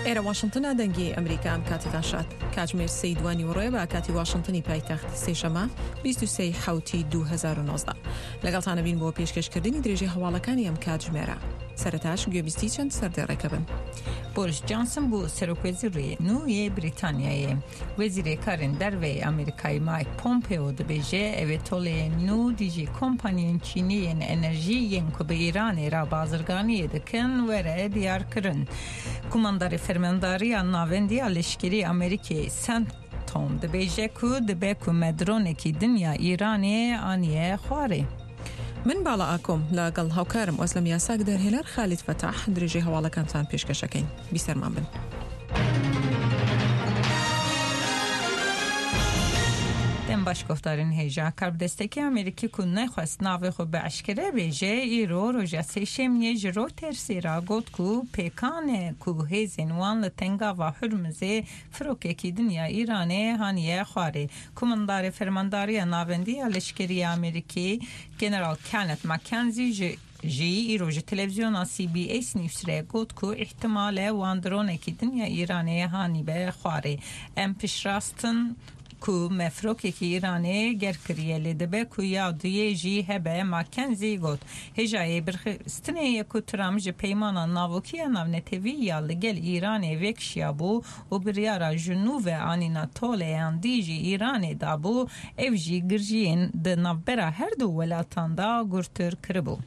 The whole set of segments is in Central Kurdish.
ئێرە واشنتنە دەنگی ئەمریکا ئەم کاتەتان شاد کاتژمێر سێی دوانیوەڕۆیە بە کاتی واشنتنی پایتەخت سێشەمە 23 حوتی 2019 لەگەڵتانە بین بۆ پێشکەشکردنی درێژەی هەواڵەکانی ئەم کاتژمێرە سەرەتاش گوێبیستی چەند سەردێڕێکە بن. بۆریس جانسن بوو سەرۆکوەزیرê nû yê Brîtanyayê. Wezîrê Karên Derve yê Amerîkayê Mike Pompeo dibêje ew ê toleyên nû dijî kompaniyên Çînî yên enerjî yên ku bi Îranê re bazirganiyê dikin were diyarkirin. Kumandarê Fermandariya Navendî ya Leşkerî Amerîkê CENTCOM dibêje ku dibe ku me dronekî din ya Îranê aniye xwarê. من باڵا ئاکۆم لەگەڵ هاوکارم ئۆزلەم یاساک دەرهێنەر خالید فەتاح درێژەی هەواڵەکانتان پێشکەشەکەین بیسەرمان بن. Dem baş guhdarên hêja karbidestekî Amerîkî ku nexwest navê xwe bi eşkere bêje îro roja sêşemiyê ji Reutersê re got ku pêkan e ku hêzên wan li Tengava Hurmuzê firokekî din ya Îranê haniye xwarê. Komandarê Fermandariya Navendî ya Leşkerî ya Amerîkî General Kenneth McKenzie ji jî îro ji televîzyona CBS News re got ku îhtimal e wan dronekî din ya Îranê hanîbe xwarê. Em piştrast in ku me firokekî Îranê ger kiriye lê dibe ku ya duyê jî hebe McKenzie got. Hêjayê birxistinê ye ku Trump ji peymana navokî ya navnetewî ya li gel Îranê vekişiyabû û biryara ji nû ve anîna toleyan dijî Îranê dabû, ev jî girjiyên di navbera her du welatan da gurtir kiribû.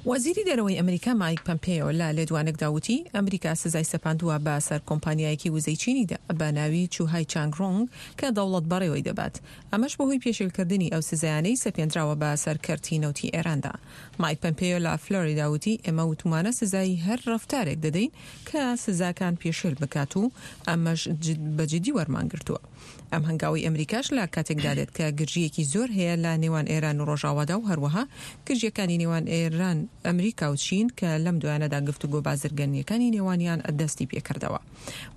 وەزیری دەرەوەی ئەمریکا مایک پەمپێیۆ لە لێدوانێکدا وتی، ئەمریکا سزای سەپاندووە بە سەر کۆمپانیایەکی وزەی چینیدا بە ناوی چوهای چانگرۆنگ کە دەوڵەت بەڕێوەی دەبات، ئەمەش بەهۆی پێشێلکردنی ئەو سزایانەی سەپێندراوە بە سەر کەرتی نەوتی ئێراندا. مایک پەمپێیۆ لە فلۆریدا وتی، ئێمە وتومانە سزای هەر ڕەفتارێک دەدەین کە سزاکان پێشێل بکات و ئەمەش بە جدی وەرمانگرتووە. ئەم هەنگاوەی ئەمریکاش لە کاتێکدا دێت کە گرژییەکی زۆر هەیە لە نێوان ئێران و ڕۆژاوادا و هەروەها گرژییەکانی نێوان ئێران، ئەمریکا و چین کە لەم دوایانەدا گفتوگۆ بازرگانییەکانی نێوانیان دەستی پێکردەوە.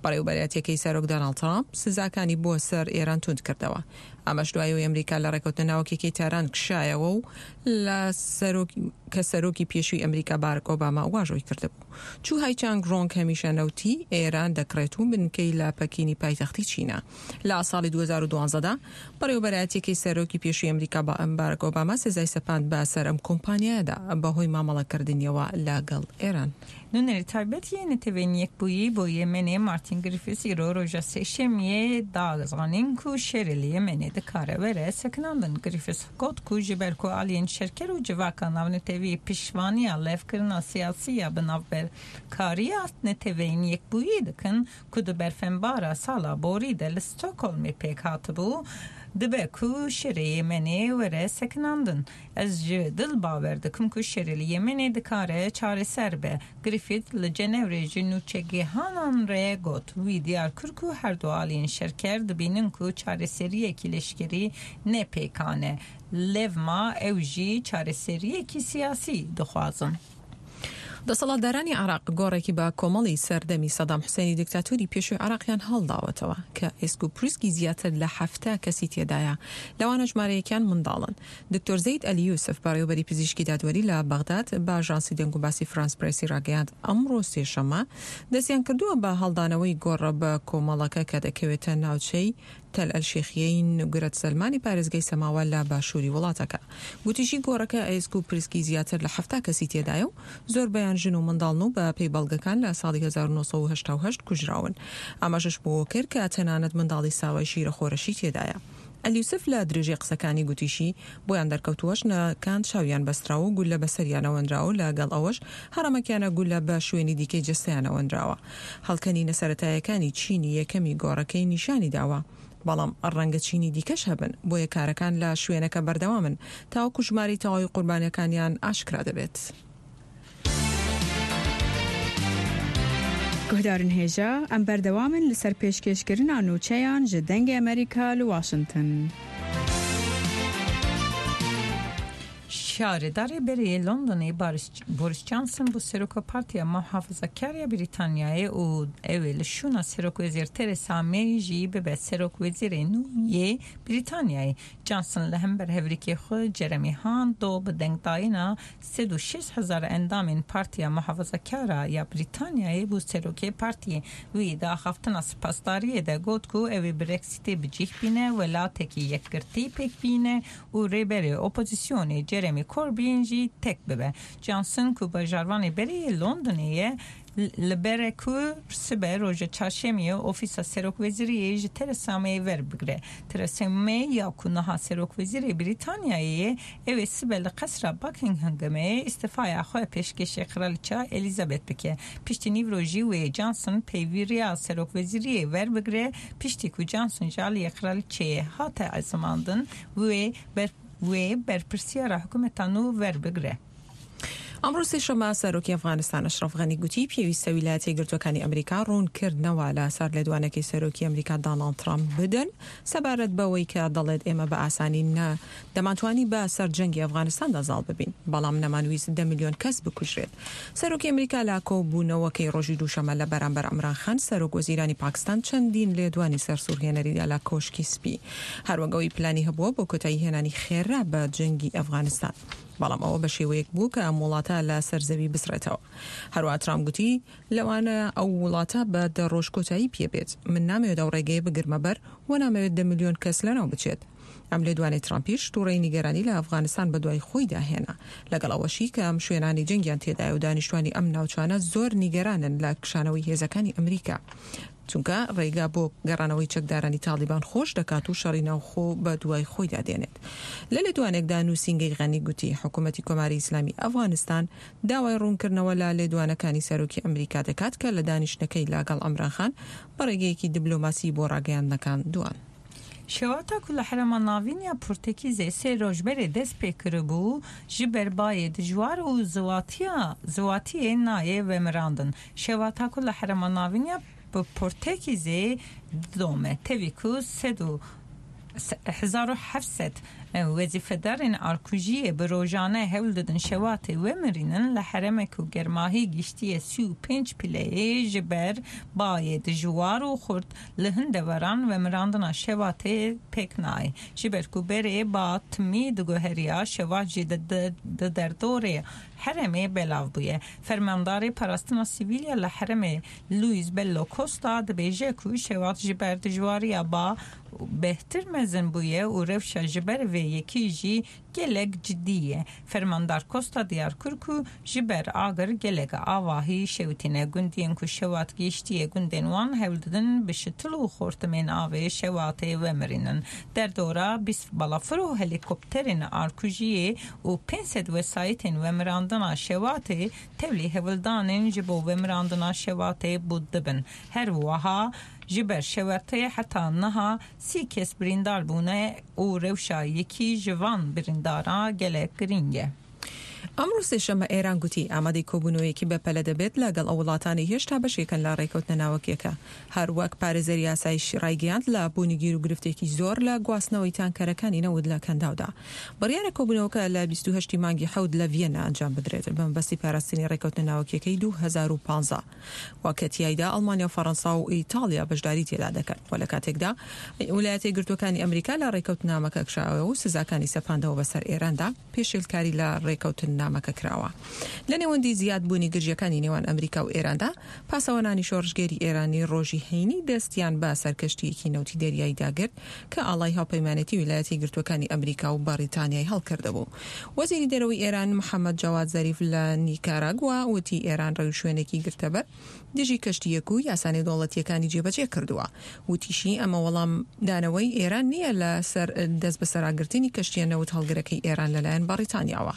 بەڕێوەبەرایەتییەکەی سەرۆک داناڵد ترامپ سزاکانی بۆ سەر ئێران توند کردەوە. ئەمەش دوای ئەوەی ئەمریکا لە ڕێکەوتنە ناوکیەکەی تاران کشایەوە و لە سەرۆک کە سەرۆکی پێشووی ئەمریکا بارک ئۆباما واژۆی کردبوو. چو هایچانگ ڕۆنگ هەمیشە نەوتی ئێران دەکڕێت و بنکەی لە پەکینی پایتەختی چینە. لە ساڵی 2012 دا بەڕێوەبەرایەتیەکەی سەرۆکی پێشووی ئەمریکا بارک ئۆباما سزای سەپاند بە سەر ئەم کۆمپانیایەدا بەهۆی مامەڵەکردنیەوە لەگەڵ ئێران. Nûnerê taybet yê Neteweyên Yekbûyî bo Yemenê Martin Griffiths îro roja Sêşemiyê da zanîn ku şerê li Yemenê dikare were sekinandin. Griffiths got ku ji ber ku aliyên şerker û civaka navnetewî piştvaniya levkirina siyasî ya bi navberkariya Neteweyên Yekbûyî dikin ku di berfenbara sala borî de li Stockholmê pêk hatibû, dibe ku şerê Yemenê were sekinandin. Ez ji dil bawer dikim ku şerê li Yemenê dikare çareser be. Griffith li Cenevrê ji nûçegihanan re got. Wî diyar kir ku her du aliyên şerker dibînin ku çareseriyekî leşkerî ne pêkan e. Lewma ew jî çareseriyekî siyasî dixwazin. دەسەڵاتدارانی عێراق گۆڕێکی بە کۆمەڵی سەردەمی سەدام حوسێنی دیکتاتۆری پێشووی عێراقیان هەڵداوەتەوە کە ئێسک و پروسکی زیاتر لە 70 کەسی تێدایە لەوانە ژمارەیەکیان منداڵن. دکتۆر زەید ئەلی یوسف بەڕێوەبەری پزیشکی دادوەری لە بەغداد بە ئاژانسی دەنگوباسی فرانس پرێسی ڕاگەیاند ئەمڕۆ سێشەممە دەستیان کردووە بە هەڵدانەوەی گۆڕە بە کۆمەڵەکە کە دەکەوێتە ناوچەی تەل ئەلشێخیەی نوگرەت سەلمانی پارێزگای سەماوە لە باشووری وڵاتەکە. گوتیشی گۆڕەکە ئێسک و پرسکی زیاتر لە 70 کەسی تێدایە و زۆربەیان ژن و منداڵن و بە پێی بەڵگەکان لە ساڵی 1988 کوژراون. ئاماژەش بەوە کرد کە تەنانەت منداڵی ساوای شیرەخۆرەشی تێدایە. ئەلیوسف لە درێژەی قسەکانی گوتیشی، بۆیان دەرکەوتووە ژنەکان چاویان بەستراوە و گوللە بەسەریانەوە نراوە و لەگەڵ ئەوەش هەڕەمەکیانە گوللە بە شوێنی دیکەی جەستەیانەوە نراوە. هەڵکەنینە سەرەتایەکانی چینی یەکەمی گۆڕەکەی نیشانی داوە، بەڵام ڕەنگە چینی دیکەش هەبن، بۆیە کارەکان لە شوێنەکە بەردەوامن تاوەکو ژمارەی تەواوی قوربانیەکانیان ئاشکرا دەبێت. Guhdarên hêja, em berdewam in li ser pêşkêşkirina nûçeyan ji Dengê Amerîka li Washington. Şaredarê berê yê Londonê Boris Johnson bû seroka Partiya Muhafazakar ya Brîtanyayê û ew ê li şûna Serokwezîr Theresa May jî bibe serokwezîrê nû yê Brîtanyayê. Johnson li hember hevrikê xwe Jeremy Hunt do bi dengdayîna 106 hezar endamên Partiya Muhafazakar ya Brîtanyayê bû serokê partiyê. Wî di axaftina spasdariyê de got ku ew ê Brexitê bi cih bîne, welatekî yekgirtî pêk bîne û rêberê opozisyonê Jeremy Corbyn jî tek bibe. Johnson ku bajarvanê berê yê Londonê ye li ber e ku sibe roja çarşemiyê ofîsa serokwezîriyê ji Theresa May werbigire. Theresa May ya ku niha serokwezîrê Brîtanyayê ye ew ê sibe li qesra Buckinghamê îstifaya xwe pêşkêşê Kraliça Elizabeth bike. Piştî nîvro jî wê Johnson peywiriya serokwezîriyê werbigire piştî ku Johnson ji aliyê Kraliçeyê hate ezimandin wê ber wê berpirsiyara hikûmeta nû werbigire. ئەمڕۆ سێشەممە سەرۆکی ئەفغانستان ئەشرەف غەنی گوتی پێویستە ویلایەتە یەکگرتووەکانی ئەمریکا ڕوونکردنەوە لەسەر لێدوانەکەی سەرۆکی ئەمریکا داناڵد ترامپ بدەن سەبارەت بەوەی کە دەڵێت ئێمە بە ئاسانی نە دەمانتوانی بە سەر جەنگی ئەفغانستاندا زاڵ ببین بەڵام نەمانویست دە ملیۆن کەس بکوژرێت. سەرۆکی ئەمریکا لە کۆبوونەوەکەی ڕۆژی دووشەممە لە بەرامبەر عمران خان سەرۆک وەزیرانی پاکستان چەندین لێدوانی سەرسوڕهێنەری دا لە کۆشکی سپی هەروەک ئەوەی پلانی هەبووە بۆ کۆتایی هێنانی خێرا بە جەنگی ئەفغانستان. بەڵام ئەوە بە شێوەیەک بوو کە ئەم وڵاتە لە سەر زەوی بسڕێتەوە. هەروەها ترامپ گوتی، لەوانەیە ئەو وڵاتە بە دە ڕۆژ کۆتایی پێ بێت. من نامەوێت ئەو ڕێگەیە بگرمە بەر و نامەوێت دە ملیۆن کەس لەناو بچێت. ئەم لێدوانەی ترامپیش توڕەیی نیگەرانی لە ئەفغانستان بەدوای خۆیدا هێنا. لەگەڵ ئەوەشی کە ئەم شوێنانەی جەنگیان تێدایە و دانیشتوانی ئەم ناوچانە زۆر نیگەرانن لە کشانەوەی هێزەکانی ئەمریکا. چونکە ڕێگا بۆ گەڕانەوەی چەکدارانی تاڵیبان خۆش دەکات و شەڕی ناوخۆ بە دوای خۆیدا دێنێت. لە لێدوانێکدا نووسینگەی غەنی گوتی، حکوومەتی کۆماری ئیسلامی ئەفغانستان داوای ڕوونکردنەوە لە لێدوانەکانی سەرۆکی ئەمریکا دەکات کە لە دانیشتنەکەی لەگەڵ عەمران خان بە ڕێگەیەکی دبلۆماسی بۆ ڕاگەیاندنەکان دوان. Şewata ku li herêma navîn ya Portekîzê sê roj berê dest pê kiribû, ji ber bayê dijwar û ziwatiya ziwatiyê nayê vemirandin. Şewata ku li herêma navîn ya Portekîzê didome tevî ku sed û 1700 wezîfedarên arkujiyê bi rojane hewl didin şewatê vemirînin li herêmek ku germahî gihîştiye 35 pileyê ji ber bayê dijwar û xurt li hin deveran vemirandina şewatê pêk nayê. Ji ber ku berê ba timî diguheriya şewat jî di derdorê herêmê belav bûye. Fermandarê Parastina Sivîl ya li herêmê Luis Bello Costa dibêje ku şewat ji ber dijwariya ba bêhtir mezin bûye û rewşa ji ber vê yekê jî gelek cidî ye. Fermandar Costa diyar kir ku ji ber agir gelek avahî şewitîne gundiyên ku şewat gihîştiye gundên wan hewl didin bi şitil û xortimên avê şewatê vemirînin. Derdora 20 balafir û helîkopterên arkujiyê û 500 wesayîtên vemirandina şewatê tevlî hewldanên ji bo vemirandina şewatê bû dibin. Her wiha ji ber şewatê heta niha 30 kes birîndar bûne û rewşa yekî ji van birîndara gelek girîng e. ئەمڕۆ سێشەممە ئێران گوتی ئامادەی کۆبوونەوەیەکی بەپەلە دەبێت لەگەڵ ئەو وڵاتانەی هێشتا بەشێکن لە ڕێکەوتنە ناوەکیەکە. هەر وەک پارێزەری ئاسایش ڕایگەیاند لە بوونی گیروگرفتێکی زۆر لە گواستنەوەی تانکەرەکانی نەوت لە کەنداودا. بڕیارە کۆبوونەوەکە لە 28 ی مانگی حەوت لە ڤیەننا ئەنجام بدرێت بە مەبەستی پاراستنی ڕێکەوتنە ناوەکیەکەی 2015 و کە تیایدا ئەڵمانیا و فەڕەنسا و ئیتاڵیا بەشداری تێدا دەکەن و لە کاتێکدا ویلایەتە یەکگرتووەکانی ئەمریکا لە ڕێکەوتنامەکە کشاوە و سزاکانی سەپاندەوە بەسەر ئێراندا پێشێلکاری لە ڕێکەوتننامەکە کراوە. لە نێوەندی زیادبوونی گرژییەکانی نێوان ئەمریکا و ئێراندا، پاسەوانانی شۆڕشگێری ئێرانی ڕۆژی هەینی دەستیان بە سەر کەشتییەکی نەوتی دەریاییدا گرت کە ئاڵای هاوپەیمانێتی ویلایەتە یەکگرتووەکانی ئەمریکا و بەڕیتانیای هەڵکردبوو. وەزیری دەرەوەی ئێران محەمەد جەواد زەریف لە نیکاراگوا وتی ئێران ڕێوشوێنێکی گرتەبەر دژی کەشتییەک و یاسا نێودەوڵەتییەکانی جێبەجێ کردووە. وتیشی، ئەمە وەڵامدانەوەی ئێران نییە لە سەر دەستبەسەراگرتنی کەشتییە نەوت هەڵگرەکەی ئێران لەلایەن بەڕیتانیاوە.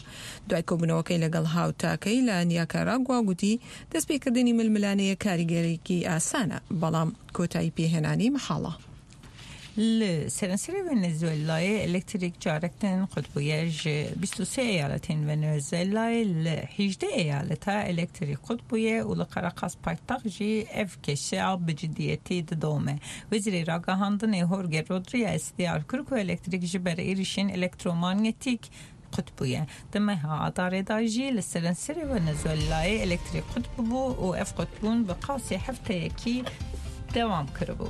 دوای کۆبوونەوەکەی لەگەڵ هاوتاکەی لە نیاکاراگوا گوتی، دەستپێکردنی ململانێیەک کاریگەریی ئاسانە، بەڵام کۆتایی پێهێنانی مەحاڵە. Li seranserê Venezuelayê elektrîk carek din qut bûye. Ji 23 eyaletên Venezuelayê li 18 eyaleta elektrîk qut bûye û li Caracas paytext jî ev kêşeya bi cidiyetî didome. Wezîrê Ragihandinê Jorge Rodriguez diyar kir ku elektrîk ji ber êrişên elektromanyetîk qut bûye. Di meha Adarê de jî li seranserê Venezuelayê elektrîk qut bûbû û ev qutbûn bi qasî hefteyekî dewam kiribû.